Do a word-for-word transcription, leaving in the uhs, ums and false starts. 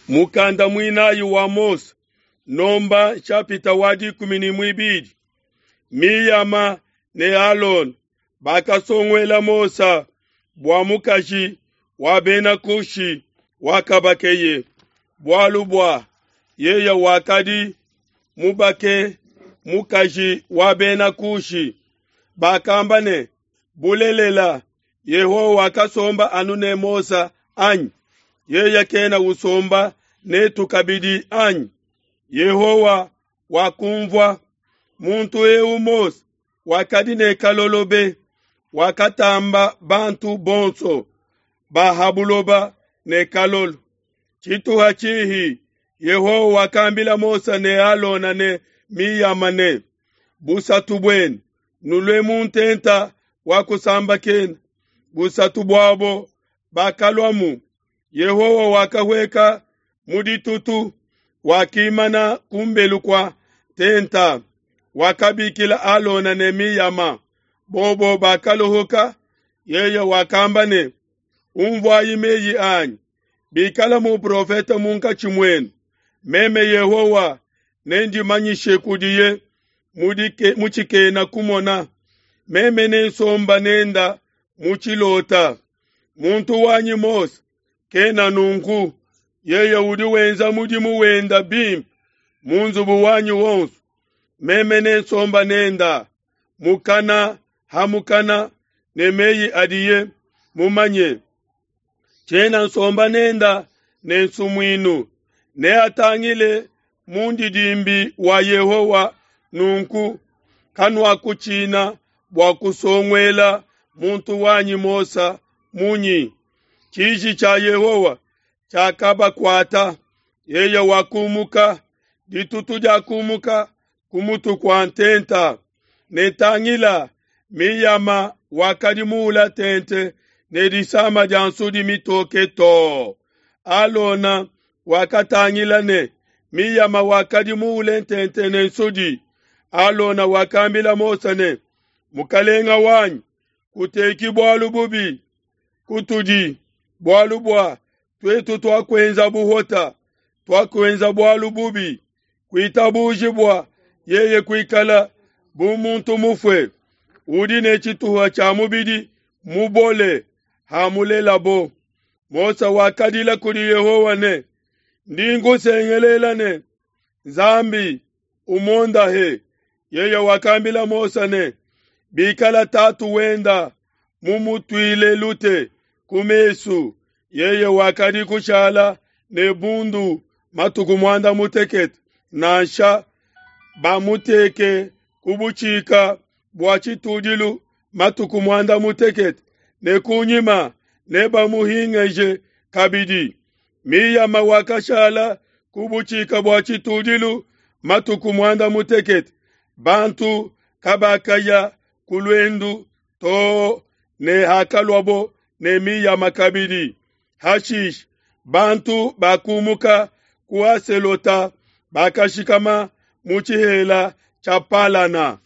Mukanda muinayi wa Mose, nomba nshapita wa dikumi ne muibidi. Miyama ne Alona bakasonguela Mose bua mukaji wa bena Kushi wakabakeye, bualu bua yeye wakadi mubake mukaji wa bena Kushi. Bakamba ne, bulelela, Yehowa wakasomba anu ne Mose anyi? Yeye kena usomba netu kabidi anyi? Yehowa wakumvua muntu eu Mose wakadi ne kalolo be, wakatamba bantu bonso ba ha buloba ne kalolo. Tshituha tshihi Yehowa wakambila Mose ne Alona ne Miyama ne, busatu buenu nulue mu ntenta wa kusambakena. Busatu buabo bakaluamu. Yehowa wakahueka mu ditutu, wakimana kumbelu kua ntenta, wakabikila Alona ne Miyama. Bobo bakaluhuka. Yeye wakamba ne, unvuayi meyi anyi. Bikala muprofete munkatshi muenu, meme Yehowa nendimanyishe kudiye mu tshikena kumona. Meme nensomba nenda mu tshilota. Muntu wanyi Mose kena nunku, yeye udi wenza mudimu wenda bimpe mu nzubu wanyi wonso. Meme nensomba nenda mukana ha mukana ne meyi adiye mumanye. Tshiena nsomba nenda ne nsumuinu, neatangile mundidimbi wa Yehowa. Nunku kanuakutshina bua kusonguela muntu wanyi Mose munyi? Tshiji tshia Yehowa tshiakabakuata, yeye wakumuka, ditutu diakumuka ku mutu kua ntenta. Ne tangila, Miyama wakadi muula tente ne disama dia nsudi mitoke too. Alona wakatangila ne Miyama wakadi muule tente ne nsudi. Alona wakambila Mose ne, mukalenga wanyi, kuteki bualu bubi kutudi, bualu bua tuetu tuakuenza buhota, tuakuenza bualu bubi. Kuitabuji bua yeye kuikala bu muntu mufue, udi ne tshituha tshia mubidi mubole hamulelabo. Mose wakadila kudi Yehowa ne, ndi nkusengelela ne, Nzambi umondahe. Yeye wakambila Mose ne, bikala tatu wenda mumutuile lute ku mesu, yeye wakadi kushala ne bundu matuku muanda mutekete, nansha bamuteke ku butshika bua tshitudilu matuku muanda mutekete, ne kunyima nebamuhingeje kabidi. Miyama wakashala ku butshika bua tshitudilu matuku muanda mutekete. Bantu kabakaya ku luendu too ne hakaluabo ne Miyama kabidi. Hashishe bantu bakumuka ku Haselota, bakashikama mu tshihela tshia Palana.